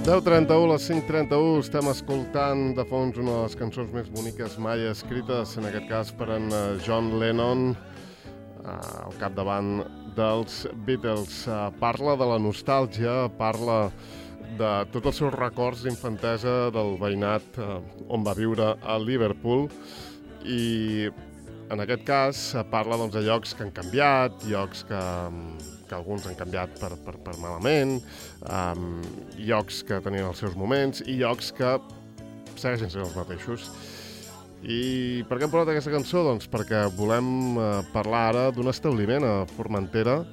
10:31, les 5:31, estem escoltant de fons una de les cançons més boniques mai escrites, en aquest cas per en John Lennon, al capdavant dels Beatles. Parla de la nostàlgia, parla de tots els seus records d'infantesa del veïnat on va viure a Liverpool, i en aquest cas parla de llocs que han canviat, llocs que alguns han canviat per malament, llocs que tenien els seus moments i llocs que segueixen sent els mateixos. I per què hem parlat d'aquesta cançó? Doncs perquè volem parlar ara d'un establiment a Formentera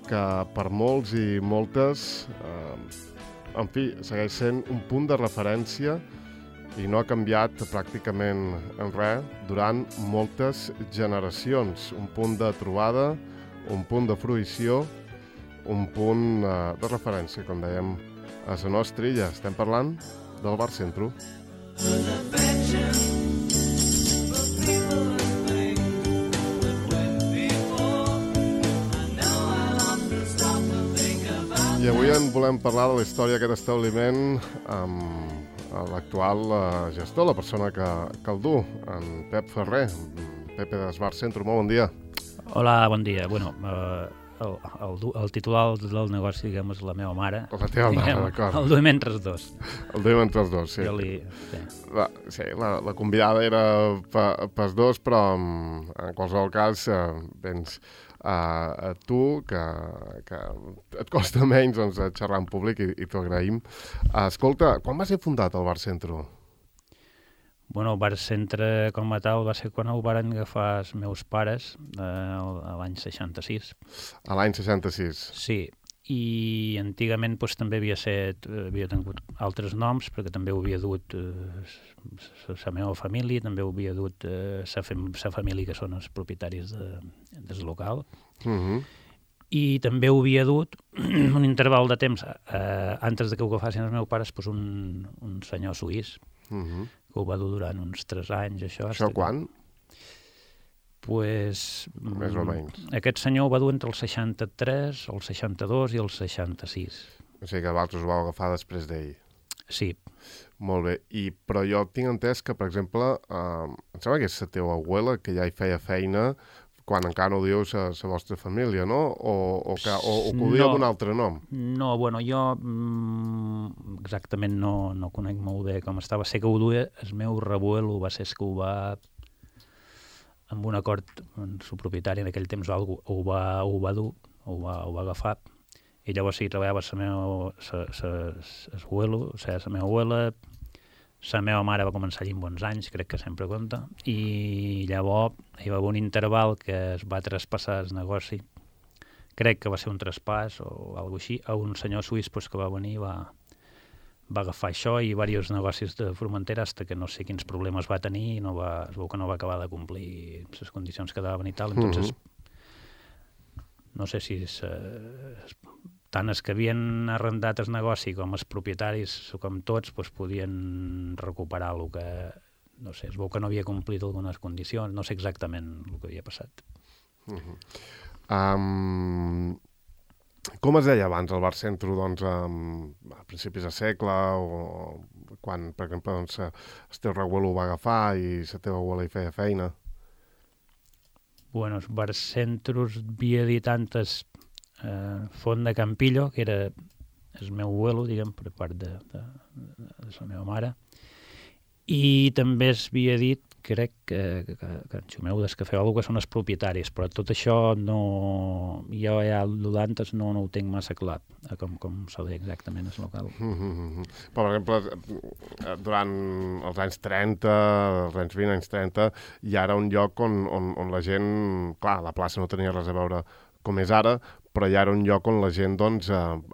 que per molts i moltes, en fi, segueix sent un punt de referència i no ha canviat pràcticament en res durant moltes generacions. Un punt de trobada, un punt de fruïció, un punt de referència, com dèiem, a la nostra illa. Estem parlant del Bar Centro. I avui en volem parlar de la història d'aquest establiment amb l'actual gestor, la persona que el du, en Pep Ferrer, Pepe del Bar Centro. Molt bon dia. Hola, bon dia. Bueno, el titular del negoci, diguem, és la meva mare. La teva mare, d'acord. El duim entre els dos. El duim entre els dos, sí. Sí, la convidada era pels dos, però en qualsevol cas vens a tu, que et costa menys xerrar en públic i t'ho agraïm. Escolta, quan va ser fundat el Bar Centro? Bueno, el Bar Centre com a tal va ser quan ho varen agafar els meus pares a l'any 66. A l'any 66? Sí, i antigament també havia tingut altres noms, perquè també ho havia dut la meva família, també ho havia dut la família que són els propietaris del local. I també ho havia dut un interval de temps, antes de que ho agafassin els meus pares, un senyor suís, que ho va dur durant uns 3 anys, això. Això quan? Pues, més o menys. Aquest senyor ho va dur entre el 63, el 62 i el 66. O sigui que vosaltres ho vau agafar després d'ell. Sí. Molt bé. Però jo tinc entès que, per exemple, em sembla que és la teva abuela que ja hi feia feina quan encara no ho dius a la vostra família, no? O que ho diu amb un altre nom? No, bueno, jo exactament no conec molt bé com estava. Sé que ho duia el meu reabuelo, va ser que ho va, amb un acord amb el propietari en aquell temps, ho va dur, ho va agafar, i llavors sí, treballava la meva abuela, la meva mare va començar allí amb bons anys, crec que sempre compta, i llavors hi va haver un interval que es va traspassar el negoci, crec que va ser un traspàs o alguna cosa així, a un senyor suís que va venir i va agafar això i diversos negocis de Formentera, fins que no sé quins problemes va tenir i es veu que no va acabar de complir les condicions que daven i tal. Entonces, no sé si tant els que havien arrendat el negoci com els propietaris, com tots, podien recuperar el que, no sé, es veu que no havia complit algunes condicions, no sé exactament el que havia passat. Com es deia abans el Bar Centro, a principis de segle, o quan, per exemple, el teu reabuelo ho va agafar i la teva abuela hi feia feina? Bueno, el Bar Centro havia dit antes Font de Campillo, que era el meu abuelo, diguem, per part de la meva mare, i també es havia dit, crec que en Xumeu Descafeol, que són els propietaris, però tot això jo ja d'antes no ho tinc massa clar, com s'ho deia exactament el local. Per exemple, durant els anys 30, els anys 20, anys 30, hi era un lloc on la gent, clar, la plaça no tenia res a veure com és ara, però ja era un lloc on la gent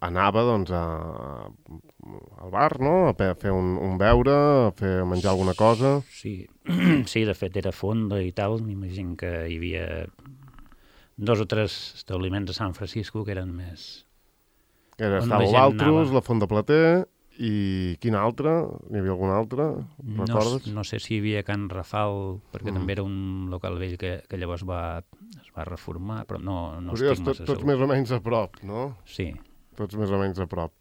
anava al bar, no? A fer un beure, a menjar alguna cosa. Sí, de fet era fonda i tal, m'imagino que hi havia 2 o 3 establiments a Sant Francisco que eren més... Estava l'Altrus, la Font de Plater, i quin altre? N'hi havia algun altre? Recordes? No sé si hi havia Can Rafal, perquè també era un local vell que llavors es va reformar, però no estic massa segur. Tots més o menys a prop, no? Sí. Tots més o menys a prop.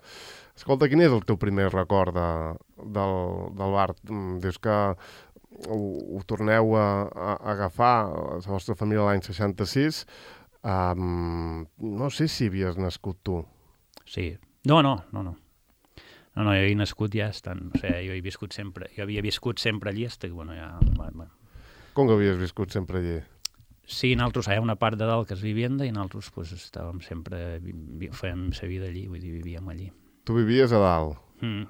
Escolta, quin és el teu primer record del bar? Dius que ho torneu a agafar, la vostra família l'any 66. No sé si havies nascut tu. Sí. No, jo he nascut ja estant... O sigui, jo havia viscut sempre allí, bueno, ja... Com que havies viscut sempre allí? Sí, nosaltres hi ha una part de dalt que és vivienda i nosaltres pues, estàvem sempre... Fèiem la vida allí, vull dir, vivíem allí. Tu vivies a dalt?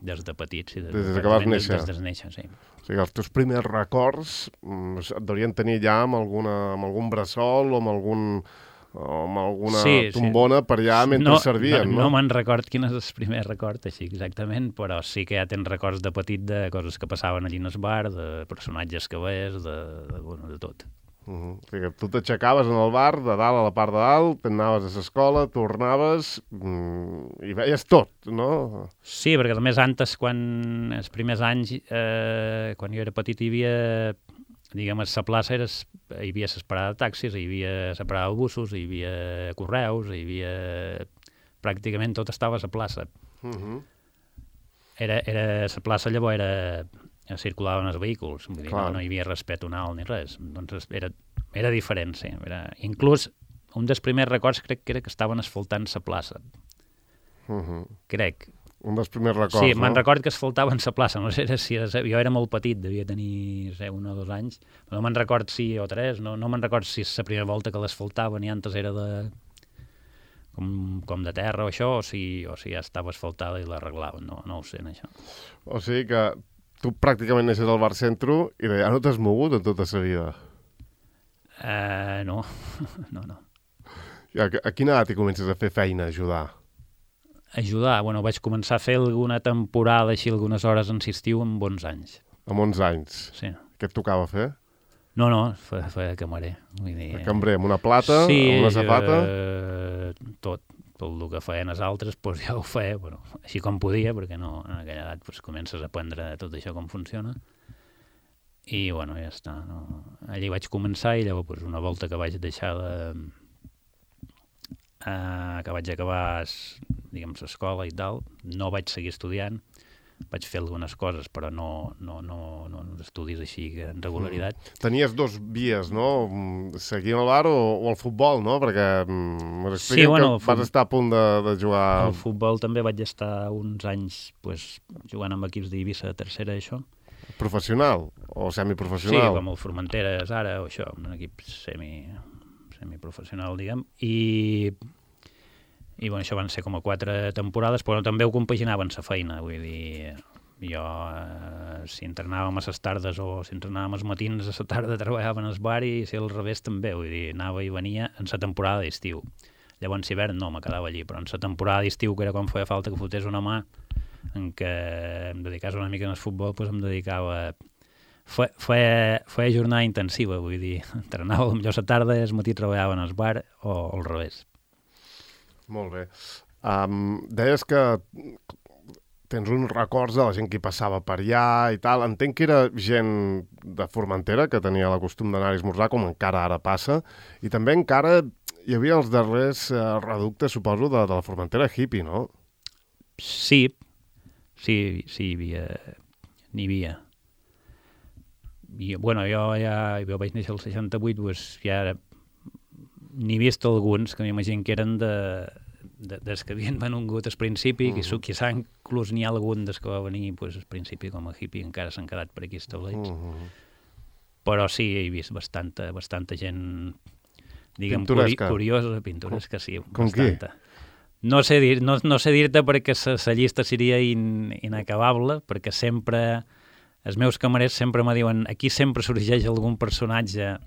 Des de petits, sí. Des que vas néixer? Des de néixer, sí. O sigui, els teus primers records et deurien tenir ja amb algun bressol o amb alguna tombona per allà mentre servien, no? No me'n record quin és el primer record, així exactament, però sí que ja tens records de petit de coses que passaven allí en el bar, de personatges que veies, de tot. O sigui, tu t'aixecaves en el bar, de dalt a la part de dalt, t'anaves a l'escola, tornaves i veies tot, no? Sí, perquè a més antes, els primers anys, quan jo era petit, hi havia, diguem, a la plaça hi havia la parada de taxis, hi havia la parada de busos, hi havia correus, hi havia... Pràcticament tot estava a la plaça. La plaça llavors circulaven els vehicles, vull dir, no hi havia res peatonal ni res, doncs era diferent, sí. Inclús un dels primers records crec que era que estaven asfaltant la plaça. Crec. Un dels primers records, sí, no? Me'n record que asfaltaven la plaça, no sé si jo era molt petit, devia tenir 1 o 2 anys, no me'n record si o 3, no me'n record si és la primera volta que l'asfaltaven i antes era com de terra o això, o si ja estava asfaltada i l'arreglaven, no ho sé, això. O sigui que tu pràcticament neixes al bar Centro i ja no t'has mogut en tota la vida. No. I a quina edat hi comences a fer feina, a ajudar? Ajudar? Bueno, vaig començar a fer alguna temporada, així, algunes hores en estiu, amb 11 anys. Amb 11 anys? Sí. Què et tocava fer? No, feia cambrer. Vull dir... Cambrer, amb una plata, amb una safata? Sí, tot el que feien els altres, doncs ja ho feia, però així com podia, perquè no, en aquella edat doncs, comences a aprendre tot això com funciona. I, bueno, ja està. No? Allí vaig començar i llavors doncs, una volta que vaig deixar que vaig acabar, diguem, l'escola i tal, no vaig seguir estudiant, vaig fer algunes coses, però no estudis així en regularitat. Tenies 2 vies, no? Seguir al bar o el futbol, no? Perquè sí, bueno, que vas estar a punt de jugar... Al futbol també vaig estar uns anys pues, jugant amb equips d'Eivissa de tercera, això. Professional o semiprofessional? Sí, com el Formenteres ara, o això, un equip semiprofessional, diguem, i bueno, això van ser com a 4 temporades, però també ho compaginaven la feina, vull dir, jo si entrenàvem a les tardes o si entrenàvem els matins a la tarda treballava en el bar i si al revés també, vull dir, anava i venia en la temporada d'estiu. Llavors hivern no, me quedava allí, però en la temporada d'estiu, que era quan feia falta que fotés una mà, en què em dedicava una mica al futbol, doncs em dedicava... Feia jornada intensiva, vull dir, entrenava potser a la tarda i al matí treballava en el bar o al revés. Molt bé. Deies que tens uns records de la gent que hi passava per allà i tal. Entenc que era gent de Formentera que tenia el costum d'anar a esmorzar, com encara ara passa, i també encara hi havia els darrers reductes, suposo, de la Formentera hippie, no? Sí, n'hi havia. I, bueno, jo vaig néixer el 68, doncs ja n'he vist alguns que m'imagino que eren des que havien venut al principi, que quizà inclús n'hi ha algun des que va venir pues, al principi com a hippie, encara s'han quedat per aquí establits. Però sí, he vist bastanta gent, diguem, curiosa, pintoresca, sí, com bastanta. No sé dir-te perquè la llista seria inacabable, perquè sempre, els meus camarers sempre me diuen aquí sempre sorgeix algun personatge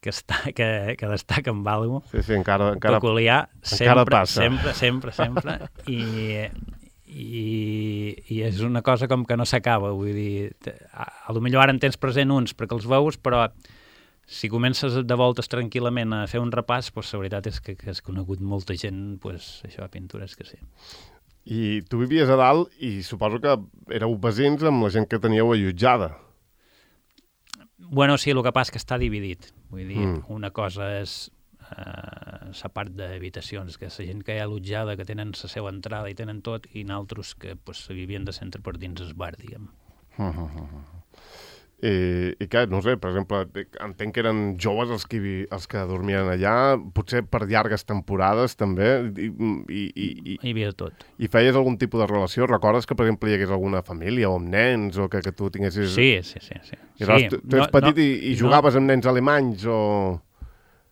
que destaca amb alguna cosa. Sí, encara peculiar, encara passa. Sempre. I és una cosa com que no s'acaba, vull dir, potser ara en tens present uns perquè els veus, però si comences de voltes tranquil·lament a fer un repàs, doncs la veritat és que has conegut molta gent, doncs això, pintures que sí. I tu vivies a dalt i suposo que éreu veïns amb la gent que teníeu allotjada. Bueno, sí, el que passa que està dividit. Vull dir, una cosa és la part d'habitacions, que la gent que hi ha allotjada, que tenen la seva entrada i tenen tot, i naltros que pues, vivien de centre per dins el bar, diguem. I què, no sé, per exemple, entenc que eren joves els que dormien allà, potser per llargues temporades també, Hi havia tot. I feies algun tipus de relació? Recordes que, per exemple, hi hagués alguna família o amb nens, o que tu tinguessis... Sí. I aleshores, tu eres petit i jugaves amb nens alemanys o...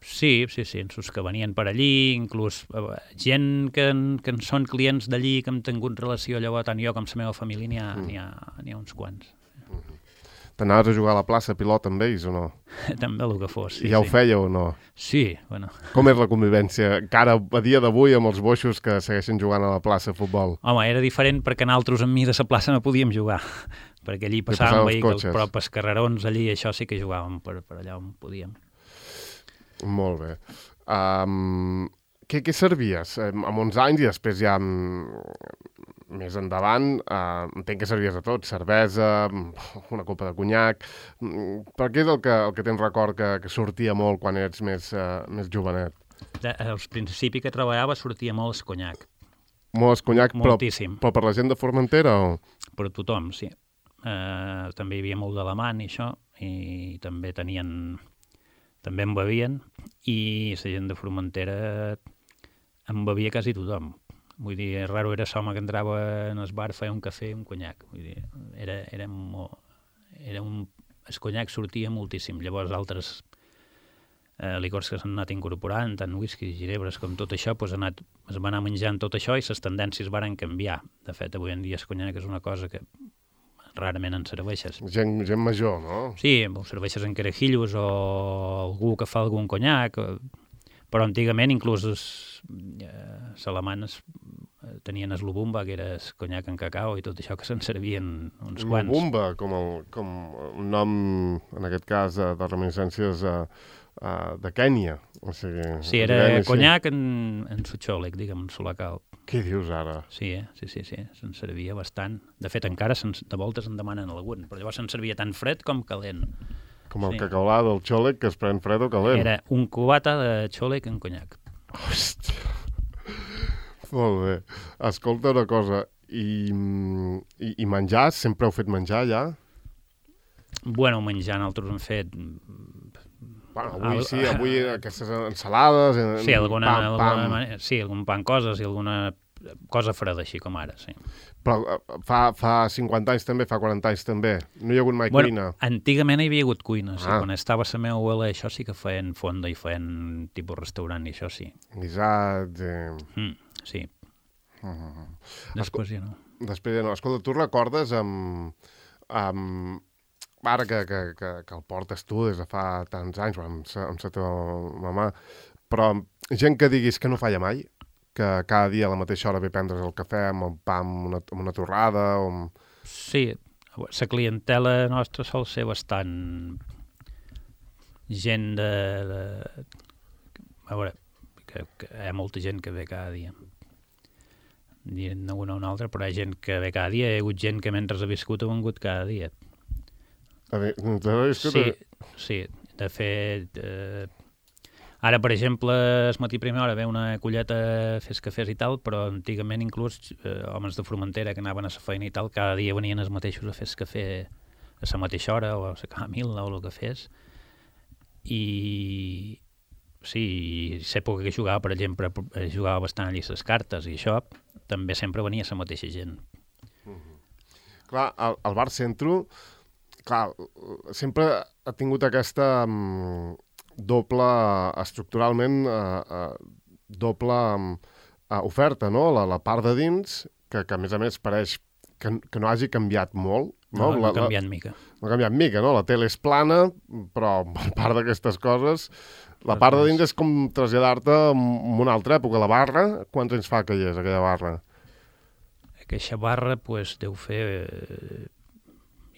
Sí, els que venien per allí, inclús gent que en són clients d'allí, que hem tingut relació, llavors tant jo com la meva família n'hi ha uns quants. T'anaves a jugar a la plaça pilota amb ells o no? També el que fos, sí. I ja ho fèieu o no? Sí, bueno. Com és la convivència, encara a dia d'avui, amb els boixos que segueixen jugant a la plaça de futbol? Home, era diferent perquè nosaltres amb mi de la plaça no podíem jugar, perquè allí passàvem vehicles, però pels carrerons allí això sí que jugàvem per allà on podíem. Molt bé. Què servies? Amb uns anys i després ja més endavant, entenc que servies de tot, cervesa, una copa de conyac, per què és el que tens record que sortia molt quan ets més jovenet? Al principi que treballava sortia molt el conyac. Molt el conyac, moltíssim. Però per la gent de Formentera o...? Per tothom, sí. També hi havia molt d'alemany i això, i també en bevien, i la gent de Formentera en bevia quasi tothom. Vull dir, raro era l'home que entrava en el bar, feia un cafè i un conyac. Vull dir, el conyac sortia moltíssim. Llavors altres licors que s'han anat incorporant, tant whisky, ginebres com tot això, doncs es va anar menjant tot això i les tendències varen canviar. De fet, avui en dia el conyac és una cosa que rarament en serveixes. Gent major, no? Sí, ho serveixes en carajillos o algú que fa algun conyac, però antigament inclús els alemanes tenien el Lubumba, que era el conyac en cacau i tot això, que se'n servien uns quants. Lubumba, com un nom, en aquest cas, de reminiscències de Kènia. O sigui, sí, era conyac en sotxòleg, diguem, en solacal. Què dius ara? Sí, sí, se'n servia bastant. De fet, encara de voltes en demanen algun, però llavors se'n servia tant fred com calent. Com el cacaulà del xòleg que es pren fred o calent. Era un cubata de xòleg en conyac. Hòstia. Molt bé. Escolta una cosa, i menjar? Sempre heu fet menjar, ja? Bueno, menjar nosaltres hem fet... Bueno, avui aquestes ensalades... Sí, algun pan coses i alguna cosa freda, així com ara, sí. Però fa 50 anys també, fa 40 anys també? No hi ha hagut mai cuina? Antigament hi havia hagut cuina, sí. Quan estava la meva abuela, això sí que feien fonda i feien tipus restaurant i això sí. Guisats... Sí. Després ja no. Després ja no. Escolta, tu recordes ara que el portes tu des de fa tants anys, amb la teva mamà, però gent que diguis que no falla mai, que cada dia a la mateixa hora ve prendre's el cafè amb el pa amb una torrada o amb... Sí, la clientela nostra sol ser bastant gent a veure, que hi ha molta gent que ve cada dia. Dient una o una altra, però hi ha gent que ve cada dia, hi ha hagut gent que mentre ha viscut ha vengut cada dia. Sí, de fet, ara, per exemple, el matí primera hora ve una colleta a fer cafès i tal, però antigament inclús homes de Formentera que anaven a la feina i tal, cada dia venien els mateixos a fer cafè a la mateixa hora o a la camilla o el que fes. I sí, l'època que jugava, per exemple, jugava bastant allà les cartes i això, també sempre venia la mateixa gent. Clar, el bar Centro... Clar, sempre ha tingut aquesta doble, estructuralment, doble oferta, no? La part de dins, que a més pareix que no hagi canviat molt. No ha canviat mica. No ha canviat mica, no? La tele és plana, però a part d'aquestes coses, la part de dins és com traslladar-te en una altra època. La barra, quants anys fa que hi és, aquella barra? Aquesta barra, doncs, deu fer...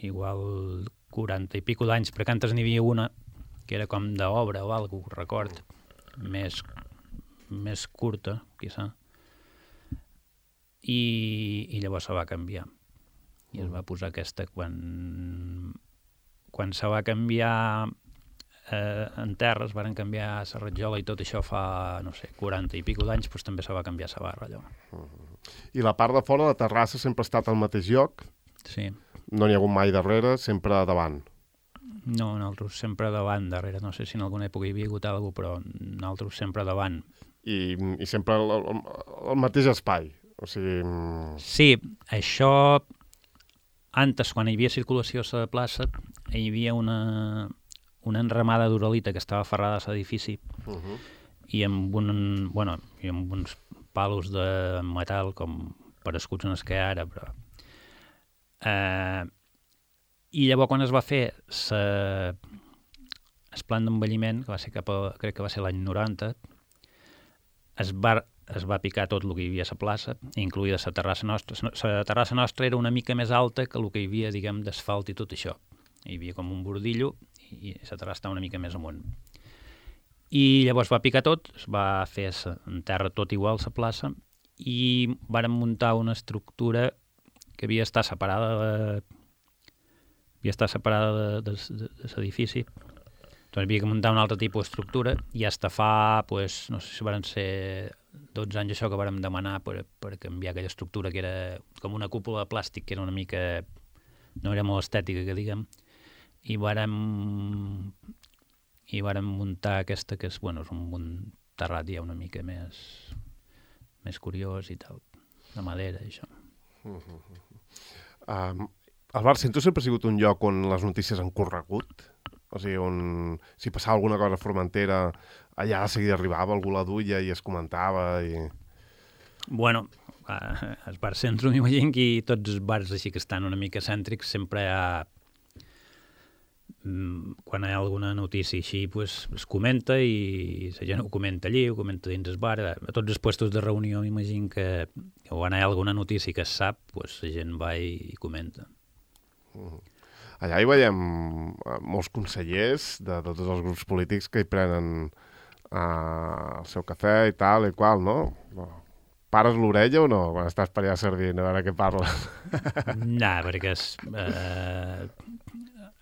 igual 40 i pico d'anys, perquè antes n'hi havia una que era com d'obra o alguna cosa, record, més curta, quizà. I llavors se va canviar. I es va posar aquesta quan se va canviar en terra es van canviar a la Rajola i tot això fa, no sé, 40 i pico d'anys, doncs també se va canviar a la barra, allò. I la part de fora, la terrassa, sempre ha estat al mateix lloc? Sí. No n'hi ha hagut mai darrere, sempre davant? No, nosaltres sempre davant, darrere. No sé si en alguna època hi havia hagut alguna cosa, però nosaltres sempre davant. I sempre el mateix espai? O sigui... Sí, això... Antes, quan hi havia circulació a la plaça, hi havia una enramada d'uralita que estava aferrada a l'edifici i amb uns palos de metal com per escuts en el que ara, però... I llavors quan es va fer el plan d'envelliment, que va ser crec que va ser l'any 90, es va picar tot el que hi havia a la plaça, incluïda la terrassa nostra. La terrassa nostra era una mica més alta que el que hi havia, diguem, d'asfalt i tot això. Hi havia com un bordillo i la terrassa estava una mica més amunt. I llavors va picar tot, es va fer en terra tot igual a la plaça i vàrem muntar una estructura que havia d'estar separada de l'edifici. Doncs havia que muntar un altre tipus d'estructura i fins fa, pues, no sé si van ser 12 anys això que vàrem demanar per canviar aquella estructura que era com una cúpula de plàstic, que era una mica... no era molt estètica, que diguem, i vàrem muntar aquesta, que és, bueno, és un terrat ja una mica més curiós i tal, de madera i això. El Bar Centro sempre ha sigut un lloc on les notícies han corregut? O sigui, on si passava alguna cosa a Formentera, allà de seguida arribava, algú la duia i es comentava i... Bueno, al Bar Centro m'imagino que tots els bars així que estan una mica cèntrics sempre hi ha... Quan hi ha alguna notícia així, pues, es comenta i la gent ho comenta allí, ho comenta dins el bar. A tots els puestos de reunió m'imagino que quan hi ha alguna notícia que es sap, pues, la gent va i comenta. Allà hi veiem molts consellers de tots els grups polítics que hi prenen el seu cafè i tal i qual, no? Pares l'orella o no quan estàs per allà servint, a veure què parlen? No, perquè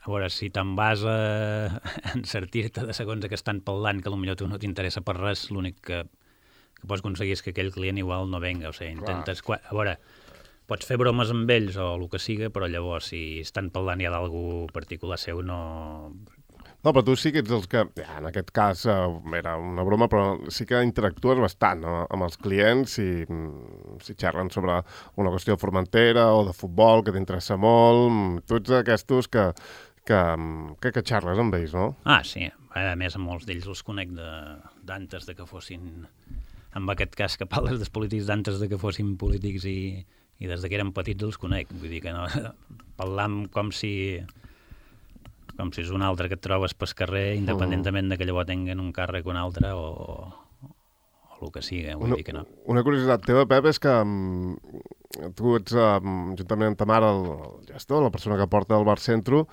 a veure, si te'n vas a encertir-te de segons que estan parlant, que potser tu no t'interessa per res, l'únic que pots aconseguir és que aquell client igual no venga, o sigui, intentes... A veure, pots fer bromes amb ells o el que siga, però llavors si estan parlant ja d'algú particular seu no... No, però tu sí que ets els que, en aquest cas era una broma, però sí que interactues bastant amb els clients si xerren sobre una qüestió de Formentera o de futbol que t'interessa molt. Tu ets d'aquestos que xerres amb ells, no? Ah, sí. A més, a molts d'ells els conec d'antes de que fossin... En aquest cas que parles dels polítics d'antes de que fossin polítics i des que eren petits els conec. Vull dir que no... Parlam com si és un altre que et trobes pel carrer, independentment de que llavors tinguen un càrrec o un altre o el que sigui. Vull dir que no. Una curiositat teva, Pep, és que tu ets, juntament amb ta mare, el gestor, la persona que porta el Bar Centro,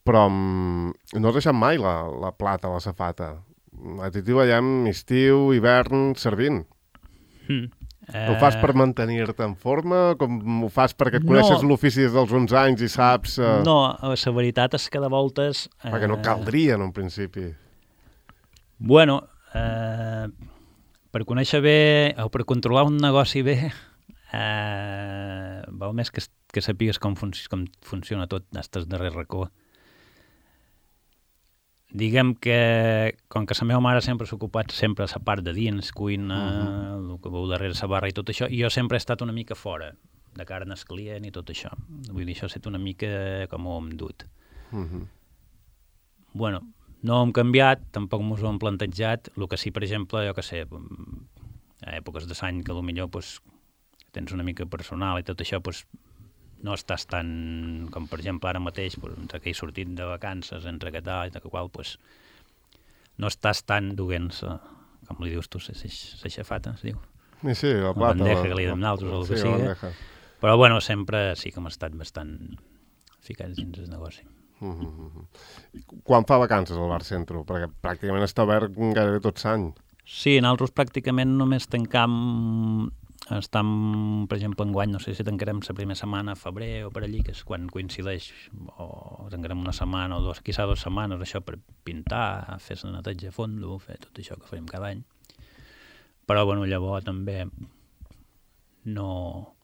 però no has deixat mai la plata a la safata. A ti t'hi veiem estiu, hivern, servint. Ho fas per mantenir-te en forma? Com ho fas perquè coneixes l'ofici des dels 11 anys i saps... No, la veritat és que de voltes... Perquè no caldria en un principi. Bueno, per conèixer bé o per controlar un negoci bé, val més que sàpigues com funciona tot d'estes darrer racó. Diguem que, com que la meva mare sempre s'ha ocupat sempre a la part de dins, cuina, el que veu darrere la barra i tot això, i jo sempre he estat una mica fora, de cara al client i tot això. Vull dir, això ha estat una mica com ho hem dut. Bueno, no ho hem canviat, tampoc m'ho hem plantejat, el que sí, per exemple, jo que sé, a èpoques de l'any que potser tens una mica personal i tot això, no estàs tan, com per exemple ara mateix, entre que he sortit de vacances, entre que tal, i que qual, no estàs tan duent, com li dius tu, la xafata, es diu? Sí, la plata. La bandeja que li donem nosaltres, o el que sigui. Però, bueno, sempre sí que hem estat bastant ficats dins el negoci. Quan fa vacances al Bar Centro? Perquè pràcticament està obert gairebé tot l'any. Sí, nosaltres pràcticament només tancam estem, per exemple, enguany, no sé si tancarem la primera setmana a febrer o per allí, que és quan coincideix, o tancarem una setmana o quizà 2 setmanes, això per pintar, fer la neteja a fondo, fer tot això que farem cada any. Però, bueno, llavors també no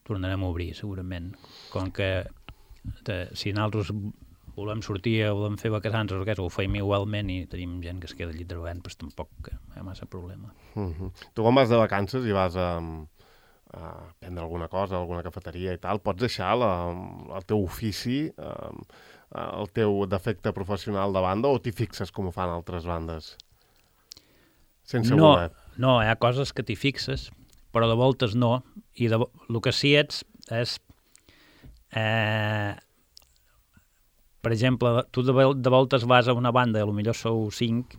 tornarem a obrir, segurament. Com que si nosaltres volem sortir o volem fer vacances o què, ho feim igualment i tenim gent que es queda allí treballant, doncs tampoc hi ha massa problema. Tu quan vas de vacances i vas a prendre alguna cosa, alguna cafeteria i tal, pots deixar el teu ofici, el teu defecte professional de banda o t'hi fixes com ho fan altres bandes? Sense voler. No, hi ha coses que t'hi fixes, però de voltes no, i el que sí és per exemple, tu de voltes vas a una banda, potser sou 5,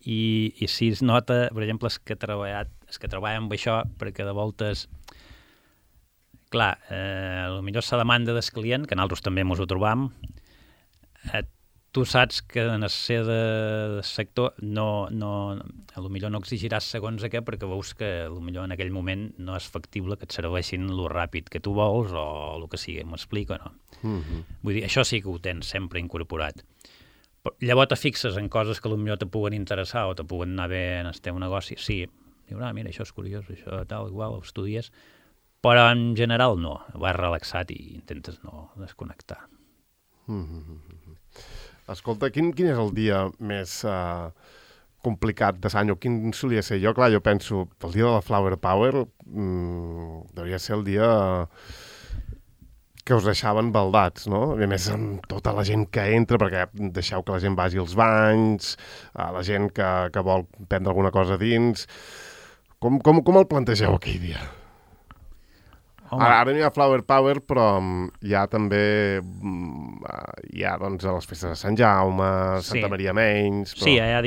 i si es nota, per exemple, els que treballen amb això, perquè de voltes, clar, potser la demanda del client, que nosaltres també ens ho trobam, tu saps que en el sector potser no exigiràs segons què, perquè veus que potser en aquell moment no és factible que et serveixin lo ràpid que tu vols o el que sigui, m'explico, no? Vull dir, això sí que ho tens sempre incorporat. Llavors te fixes en coses que potser te puguen interessar o te puguen anar bé en el teu negoci. Sí, dius, mira, això és curiós, això tal, igual, ho estudies, però en general no, vas relaxat i intentes no desconnectar. Escolta, quin és el dia més complicat de l'any o quin solia ser? Jo penso, el dia de la Flower Power devia ser el dia que us deixaven baldats, no? I a més amb tota la gent que entra, perquè deixeu que la gent vagi als banys, la gent que vol prendre alguna cosa dins. Com el plantegeu aquell dia? Ara no hi ha Flower Power, però hi ha també doncs, les festes de Sant Jaume, Santa Maria Menys... Sí, hi ha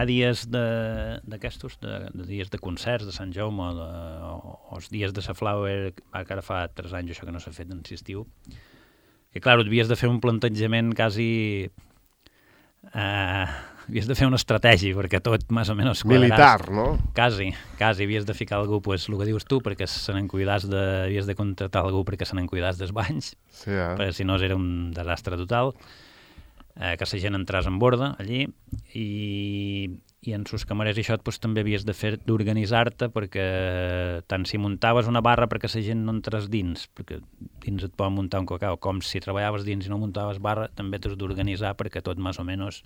dies d'aquestos, de dies de concerts de Sant Jaume, o els dies de la Flower, que ara fa 3 anys això que no s'ha fet en estiu, que clar, havies de fer un plantejament quasi... havies de fer una estratègia, perquè tot més o menys quadraràs. Militar, no? Quasi, havies de ficar algú, pues, el que dius tu, perquè havies de contratar algú perquè se n'encuidàs dels banys, perquè si no era un desastre total, que la gent entràs en borda allí, i en sus camarers i això pues, també havies d'organitzar-te, perquè tant si muntaves una barra perquè la gent no entrés dins, perquè dins et poden muntar un cacau, com si treballaves dins i no muntaves barra, també t'has d'organitzar perquè tot més o menys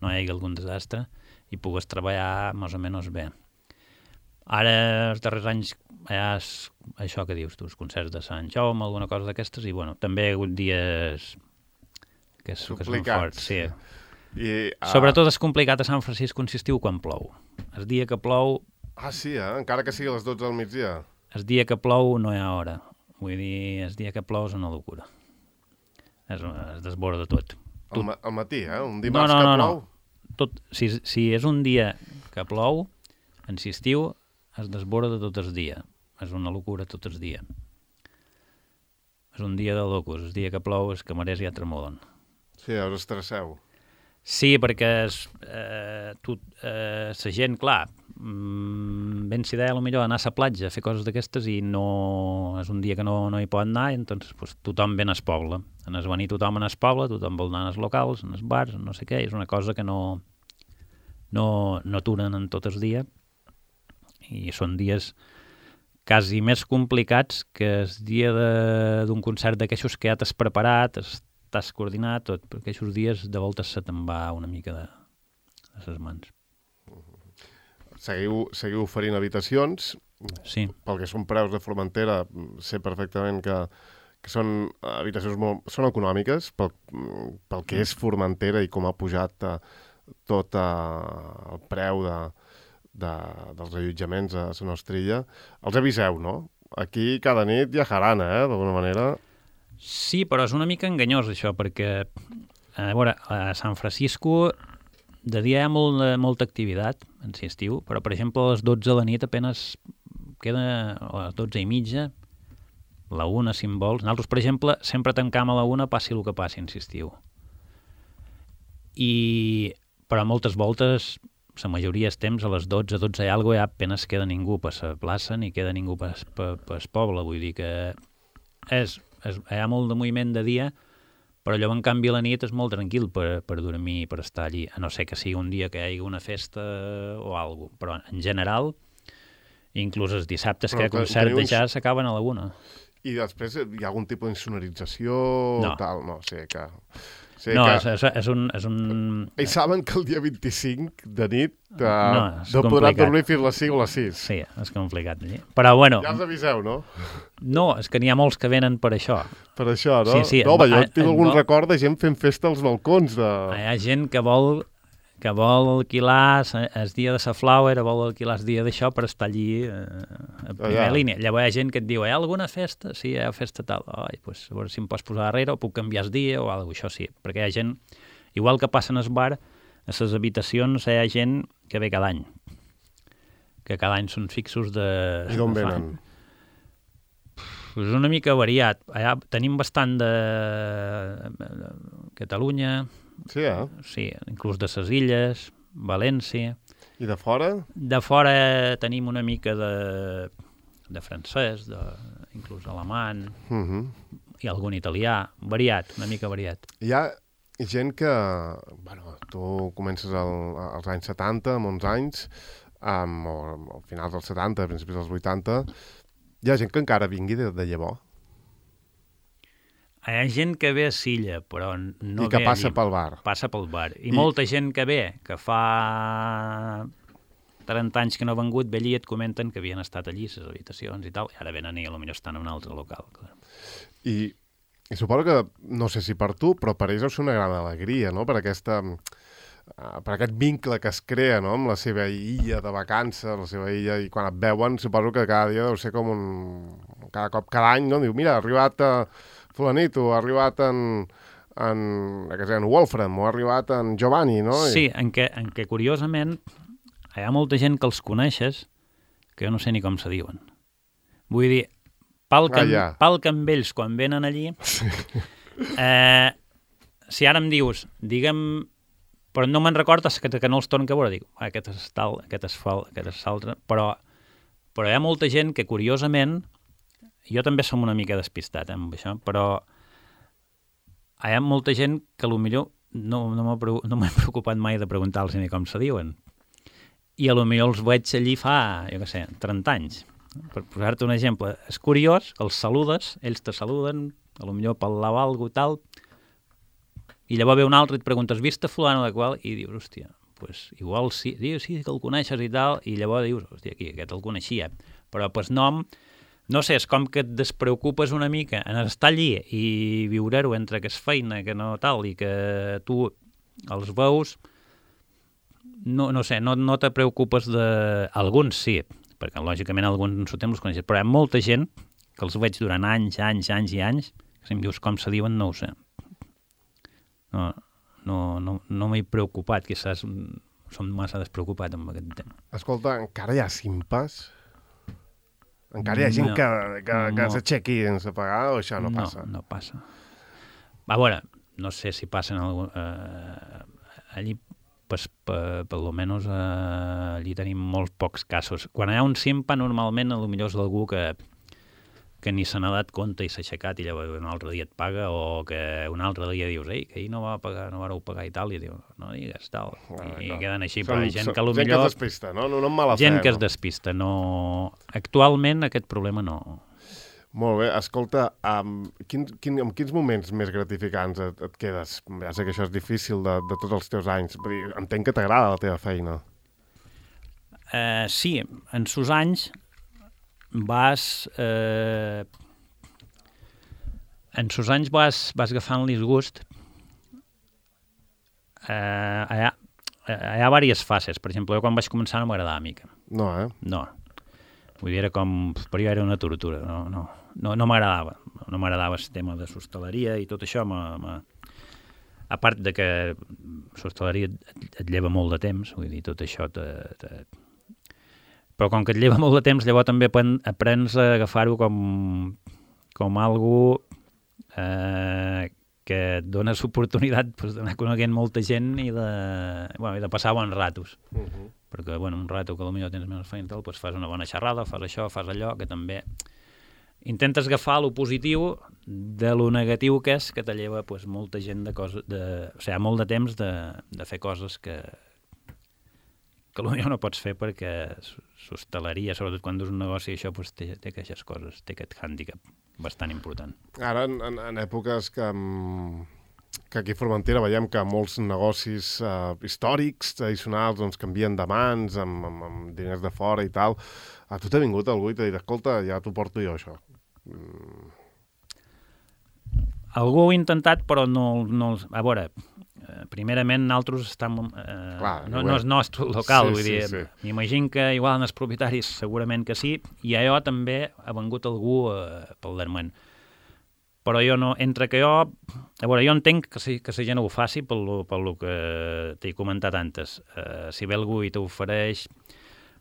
no hi hagi algun desastre i pugues treballar més o menys bé. Ara, els darrers anys, hi ha això que dius tu, els concerts de Sant Jaume, alguna cosa d'aquestes, i bueno, també hi ha hagut dies que són forts. Sí. Sobretot és complicat a Sant Francisco en estiu quan plou. El dia que plou... sí, encara que sigui a les 12 del migdia. El dia que plou no hi ha hora. Vull dir, el dia que plou és una locura. Es desborda tot. Al matí, un dimarts que plou? Si és un dia que plou, en estiu es desborda tot el dia. És una locura tot el dia. És un dia de locos. El dia que plou els camarers ja tremolen. Sí, us estresseu. Sí, perquè la gent, clar, ben s'idea potser anar a la platja a fer coses d'aquestes i no és un dia que no hi pot anar, i doncs pues, tothom ve al poble. En es venir tothom en el poble, tothom vol anar als locals, en els bars, no sé què, és una cosa que no aturen en tot el dia, i són dies quasi més complicats que el dia d'un concert d'aquestos que ja t'has preparat, t'has coordinat tot, perquè aquests dies de voltes se te'n va una mica de les mans. Seguiu oferint habitacions. Sí. Pel que són preus de Formentera, sé perfectament que són habitacions són econòmiques pel que és Formentera i com ha pujat tot el preu dels allotjaments a la nostra illa. Els aviseu, no? Aquí cada nit hi ha jarana, d'alguna manera. Sí, però és una mica enganyós això, perquè a veure, a Sant Francisco de dia hi ha molta activitat en estiu, però per exemple a les 12 de la nit apenas queda, a les 12 i mitja, la 1 si en vols. Nosaltres, per exemple, sempre tancam a la 1 passi el que passi en estiu. Però moltes voltes la majoria del temps, a les 12 i alguna cosa, ja apenas queda ningú per la plaça ni queda ningú per poble. Vull dir que hi ha molt de moviment de dia, però allò, en canvi, a la nit és molt tranquil per dormir i per estar allí, a no ser que sigui un dia que hi hagi una festa o alguna cosa. Però, en general, inclús els dissabtes que hi ha concert de jazz s'acaben a la 1. I després hi ha algun tipus d'insonorització? No. Tal? No, o sigui que... No, és un... Ells saben que el dia 25 de nit no podran dormir fins les 5 o les 6. Sí, és complicat. Però, bueno... Ja els aviseu, no? No, és que n'hi ha molts que venen per això. Per això, no? Sí. No, jo tinc algun record de gent fent festa als balcons. Hi ha gent que vol alquilar el dia de la Flower, vol alquilar el dia d'això per estar allí a primera línia. Llavors hi ha gent que et diu, hi ha alguna festa? Sí, hi ha festa tal. Ai, pues, a veure si em pots posar darrere o puc canviar el dia o alguna cosa, això sí. Perquè hi ha gent, igual que passa en el bar, a les habitacions hi ha gent que ve cada any. Que cada any són fixos de... I d'on venen? És una mica variat. Allà tenim bastant de Catalunya... Sí, Sí, inclús de les Illes, València. I de fora? De fora tenim una mica de francès, inclús alemany, i algun italià, variat, una mica variat. Hi ha gent que... Bueno, tu comences als anys 70, amb 11 anys, o al finals dels 70, a principis dels 80, hi ha gent que encara vingui de llavors. Hi ha gent que ve a Silla, però no I que ve passa allí. pel bar. Passa pel bar. I molta gent que ve, que fa 30 anys que no ha vengut, ve allí i et comenten que havien estat allí, les habitacions i tal, i ara venen i potser estan en un altre local. Clar. I suposo que, no sé si per tu, però per ells deu ser una gran alegria, no?, per aquest vincle que es crea, no?, amb la seva illa de vacances, la seva illa, i quan et veuen, suposo que cada dia deu ser com cada any, no?, diu, mira, ha arribat fulanito, ha arribat en Wolfram, o ha arribat en Giovanni, no? Sí, en què curiosament hi ha molta gent que els coneixes que jo no sé ni com se diuen. Vull dir, pal que amb ells quan venen allí, sí. Si ara em dius, digue'm, però no me'n recordes que no els torno a veure, dic, aquest és tal, aquest és l'altre, però hi ha molta gent que curiosament, jo també som una mica despistat amb això, però hi ha molta gent que potser no m'he preocupat mai de preguntar-los ni com se diuen. I potser els veig allí fa, jo què sé, 30 anys. Per posar-te un exemple, és curiós, els saludes, ells te saluden, potser parlar alguna cosa i tal, i llavors ve un altre i et preguntes, vist a fulano de qual? I dius, hòstia, pues igual sí, dius, sí que el coneixes i tal, i llavors dius, hòstia, aquest el coneixia, però pues nom... No sé, és com que et despreocupes una mica en estar allí i viure-ho entre que és feina, que no tal, i que tu els veus, no sé, no te preocupes de... Alguns sí, perquè lògicament alguns temps els coneixes, però hi ha molta gent que els veig durant anys i anys, que si em dius com se diuen no ho sé. No m'he preocupat, quizás som massa despreocupat amb aquest tema. Escolta, encara hi ha simpes? Encara hi ha gent que s'aixequi sense pagar o això no passa? No passa. A veure, no sé si passen allí, pues, per lo menos allí tenim molts pocs casos. Quan hi ha un simpa, normalment potser és d'algú que ni se n'ha dat compte i s'ha aixecat i llavors un altre dia et paga, o que un altre dia dius, ei, que ahir no vareu pagar i tal, i diu, no digues tal, i queden així, però gent que potser... Gent que es despista, no? No amb mala fe. Gent que es despista, no... Actualment aquest problema no... Molt bé, escolta, amb quins moments més gratificants et quedes? Ja sé que això és difícil de tots els teus anys, entenc que t'agrada la teva feina. Sí, en sus anys vas agafant-li gust. Hi ha diverses fases. Per exemple, jo quan vaig començar no m'agradava mica. No, No. Vull dir, era com... Per jo era una tortura. No m'agradava. No m'agradava el tema de l'hostaleria i tot això. A part de que l'hostaleria et lleva molt de temps, vull dir, tot això però com que et lleva molt de temps, llavors també aprens a agafar-ho com algo que et dones oportunitat d'anar coneguent molta gent i de passar bons ratos. Perquè, un rato que potser tens menys feina i tal, fas una bona xerrada, fas això, fas allò, que també intentes agafar lo positiu de lo negatiu que és que te lleva molta gent molt de temps de fer coses que potser no pots fer perquè s'hostaleria, sobretot quan dus un negoci, això té aquestes coses, té aquest hàndicap bastant important. Ara, en èpoques que aquí a Formentera veiem que molts negocis històrics, tradicionals, canvien de mans, amb diners de fora i tal. A tu t'ha vingut algú i t'ha dit, escolta, ja t'ho porto jo, això. Algú ho ha intentat, però no... A veure, primerament nosaltres estem... no és nostre local, vull dir, m'imagino que igual els propietaris segurament que sí, i a jo també ha vengut algú pel darrere. Però jo no... Entre que jo... A veure, jo entenc que la gent ho faci pel lo que t'he comentat antes. Si ve algú i t'ofereix...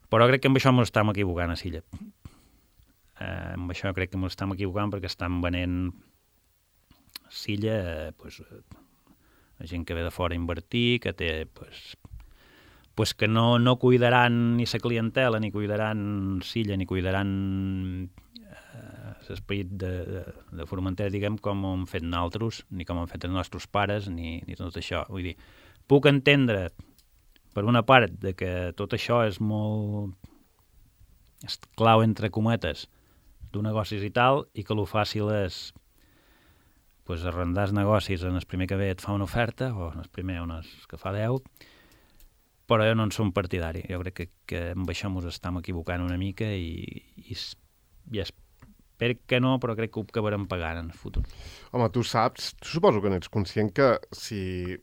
Però crec que amb això ens estem equivocant a Silla. Amb això crec que ens estem equivocant perquè estan venent Silla la gent que ve de fora a invertir, que té que no cuidaran ni la clientela, ni cuidaran Silla, ni cuidaran l'esperit de Formentera, diguem, com ho hem fet nosaltres, ni com ho han fet els nostres pares, ni tot això. Vull dir, puc entendre, per una part, de que tot això és molt clau, entre cometes, d'un negocis i tal, i que el fàcil és arrendar els negocis en el primer que ve et fa una oferta, o en el primer en el que fa 10, però jo no en som partidari. Jo crec que amb això ens estem equivocant una mica i espero que no, però crec que ho acabarem pagant en el futur. Home, tu suposo que n'ets conscient que si...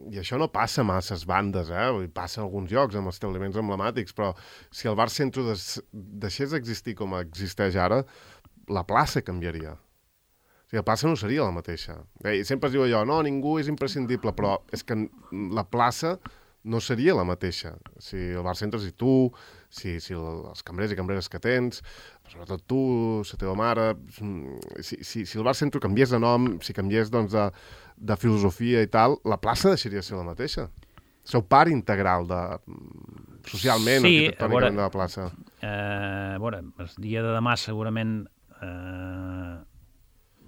I això no passa massa a bandes, passa en alguns llocs, amb establiments emblemàtics, però si el bar centre deixés d'existir com existeix ara, la plaça canviaria. O sigui, la plaça no seria la mateixa. Sempre es diu allò, no, ningú és imprescindible, però és que la plaça no seria la mateixa. Si el bar centre, si tu, si els cambrers i cambreres que tens, sobretot tu, la teva mare, si el bar centre canviés de nom, si canviés de filosofia i tal, la plaça deixaria de ser la mateixa. Sou part integral socialment, arquitectònicament de la plaça. A veure, el dia de demà segurament...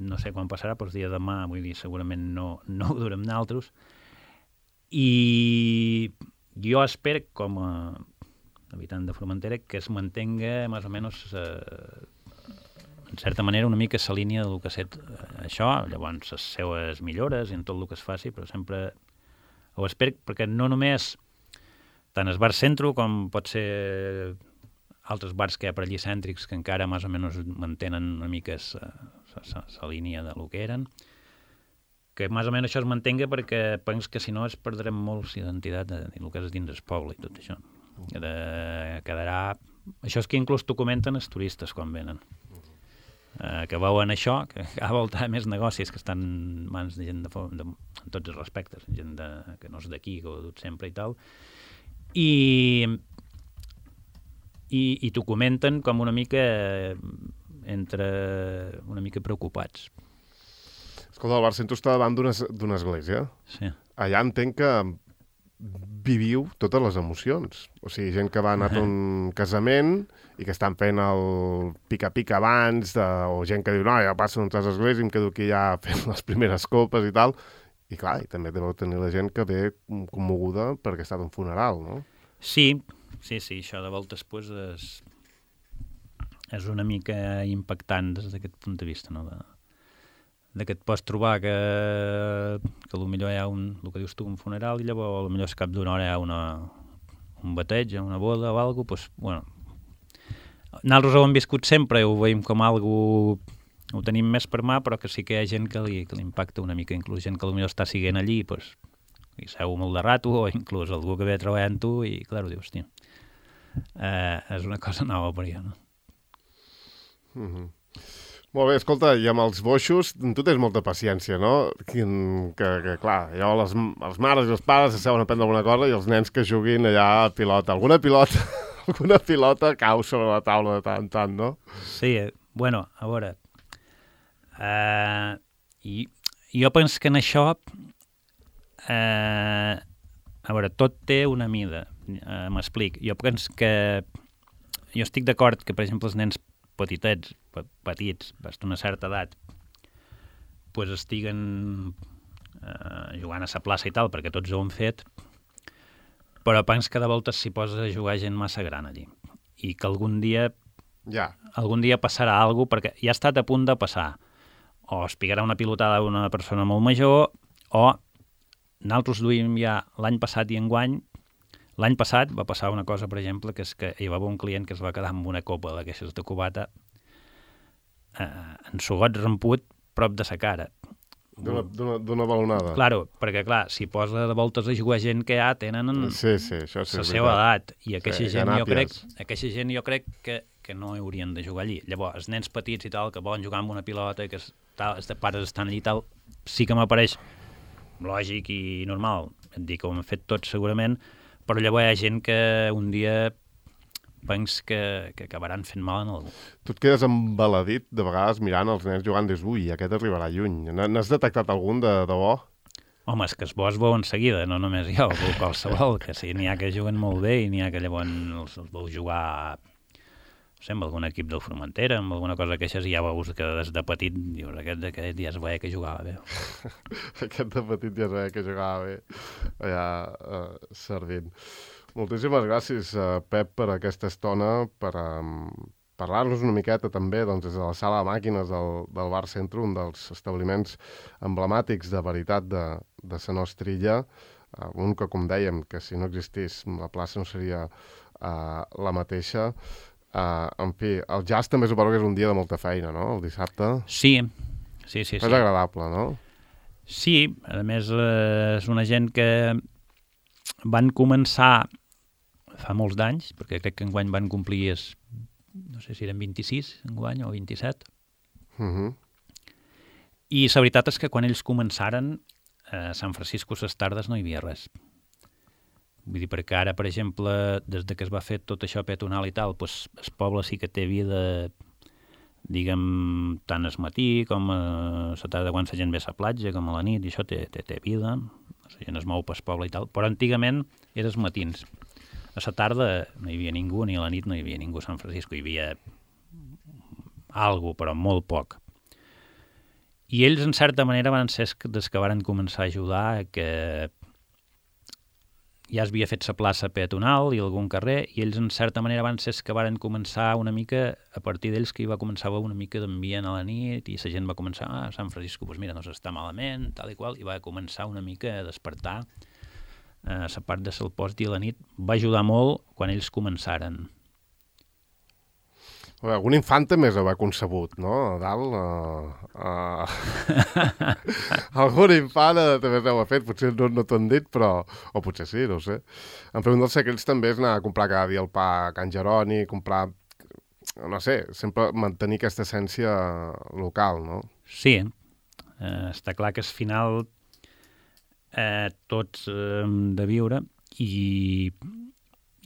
no sé quan passarà, però el dia de demà, vull dir, segurament no ho durem nosaltres. I jo espero, com a habitant de Formentera, que es mantenga més o menys, en certa manera, una mica la línia del que ha estat això, llavors les seues millores i en tot el que es faci, però sempre ho espero, perquè no només tant el bar centre com pot ser altres bars que hi ha per allí cèntrics que encara més o menys mantenen una mica la línia de lo que eren, que més o menys això es mantenga, perquè penso que si no es perdrem molt l'identitat de el que és dins del poble i tot això. Quedarà... Això és que inclús t'ho comenten els turistes quan venen. Que veuen això, que a volta més negocis que estan en mans de gent en tots els respectes, gent que no és d'aquí, que ho ha dut sempre i tal, i t'ho comenten com una mica una mica preocupats. Escolta, el bar centre està davant d'una església. Sí. Allà entenc que viviu totes les emocions. O sigui, gent que va anar a un casament i que estan fent el pica-pica abans, o gent que diu, no, ja passo entre les esglésies i em quedo aquí ja fent les primeres copes i tal. I clar, i també deveu tenir la gent que ve commoguda perquè ha estat un funeral, no? Sí, això de voltes és una mica impactant des d'aquest punt de vista, no? De que et pots trobar que potser hi ha el que dius tu, un funeral, i llavors potser al cap d'una hora hi ha un bateig, una boda o alguna cosa, bueno, nosaltres ho hem viscut sempre, ho veiem com algo, ho tenim més per mà, però que sí que hi ha gent que li impacta una mica, inclús gent que potser està siguent allí, i seu molt de rato, o inclús algú que ve a treballar amb tu, i clar, ho dius, hòstia, és una cosa nova per jo, no? Molt bé, escolta, i amb els boixos, tu tens molta paciència, no? Que clar, allò, les mares i els pares s'asseuen a prendre alguna cosa i els nens que juguin allà a pilota. Alguna pilota cau sobre la taula de tant en tant, no? Sí, bueno, a veure, jo penso que en això, a veure, tot té una mida, m'explic. Jo penso que, jo estic d'acord que, per exemple, els nens petits, d'una certa edat, pues estiguen jugant a la plaça i tal, perquè tots ho han fet, però penso que de voltes s'hi posa a jugar gent massa gran allí. I que algun dia passarà alguna cosa, perquè ja ha estat a punt de passar. O es picarà una pilotada d'una persona molt major, o nosaltres duim ja l'any passat i enguany. L'any passat va passar una cosa, per exemple, que és que hi va haver un client que es va quedar amb una copa d'aquestes de cubata ensugat, ramput, prop de sa cara. D'una balonada. Claro, perquè clar, si posa de voltes a jugar gent que ja tenen la seva edat, i aquesta gent jo crec que no haurien de jugar allí. Llavors, els nens petits i tal, que volen jugar amb una pilota, que els pares estan allí i tal, sí que m'apareix lògic i normal. Et dic que ho hem fet tots segurament, però llavors hi ha gent que un dia penso que acabaran fent mal en algú. Tu et quedes embaladit de vegades mirant els nens jugant des aquest arribarà lluny. N'has detectat algun de bo? Home, és que es veu en seguida, no només jo, qualsevol, que sí, n'hi ha que juguen molt bé i n'hi ha que llavors els veu jugar, no sé, amb algun equip del Formentera, amb alguna cosa que així ja veus que des de petit dius, aquest ja es veia que jugava bé. Aquest de petit ja es veia que jugava bé, allà servint. Moltíssimes gràcies, Pep, per aquesta estona, per parlar-nos una miqueta també des de la sala de màquines del Bar Centre, un dels establiments emblemàtics de veritat de la nostra illa, un que, com dèiem, que si no existís la plaça no seria la mateixa. En fi, el jazz també suposo que és un dia de molta feina, no?, el dissabte. Sí. És agradable, no? Sí, a més és una gent que van començar fa molts d'anys, perquè crec que enguany van complir, no sé si eren 26 enguany o 27. I la veritat és que quan ells començaren, a Sant Francisco les tardes no hi havia res. Vull dir, perquè ara, per exemple, des que es va fer tot això peatonal i tal, doncs el poble sí que té vida, diguem, tant al matí com a la tarda quan la gent ve a la platja, com a la nit, i això té vida, la gent es mou pel poble i tal, però antigament era els matins. A la tarda no hi havia ningú, ni a la nit no hi havia ningú a Sant Francisco, hi havia alguna cosa, però molt poc. I ells, en certa manera, van ser des que van començar a ajudar, que ja es havia fet la plaça peatonal i algun carrer, i ells, en certa manera, van ser que van començar una mica, a partir d'ells, que hi va començar una mica d'ambient a la nit, i la gent va començar, a Sant Francisco, doncs mira, no s'està malament, tal i qual, i va començar una mica a despertar la part de el post i la nit. Va ajudar molt quan ells començaren. Algun infant també ho ha concebut, no? A dalt. Algun infant també ho ha fet, potser no t'ho han dit, però... O potser sí, no ho sé. En fi, un dels secrets també és anar a comprar cada dia el pa a Can Jeroni, comprar... No sé, sempre mantenir aquesta essència local, no? Sí. Està clar que al final tots hem de viure i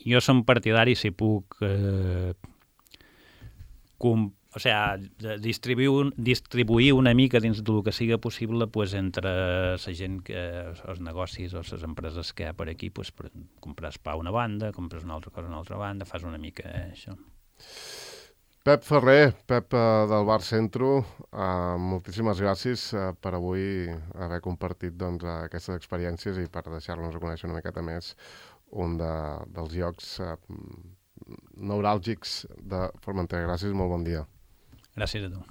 jo som partidari, si puc... distribuir una mica dins del que sigui possible entre la gent, els negocis o les empreses que hi ha per aquí, per comprar pa a una banda, compres una altra cosa a una altra banda, fas una mica això. Pep Ferrer, Pep del Bar Centro, moltíssimes gràcies per avui haver compartit aquestes experiències i per deixar-nos a conèixer una miqueta més un dels llocs neuràlgics de Formentera. Gràcies, molt bon dia. Gràcies a tu.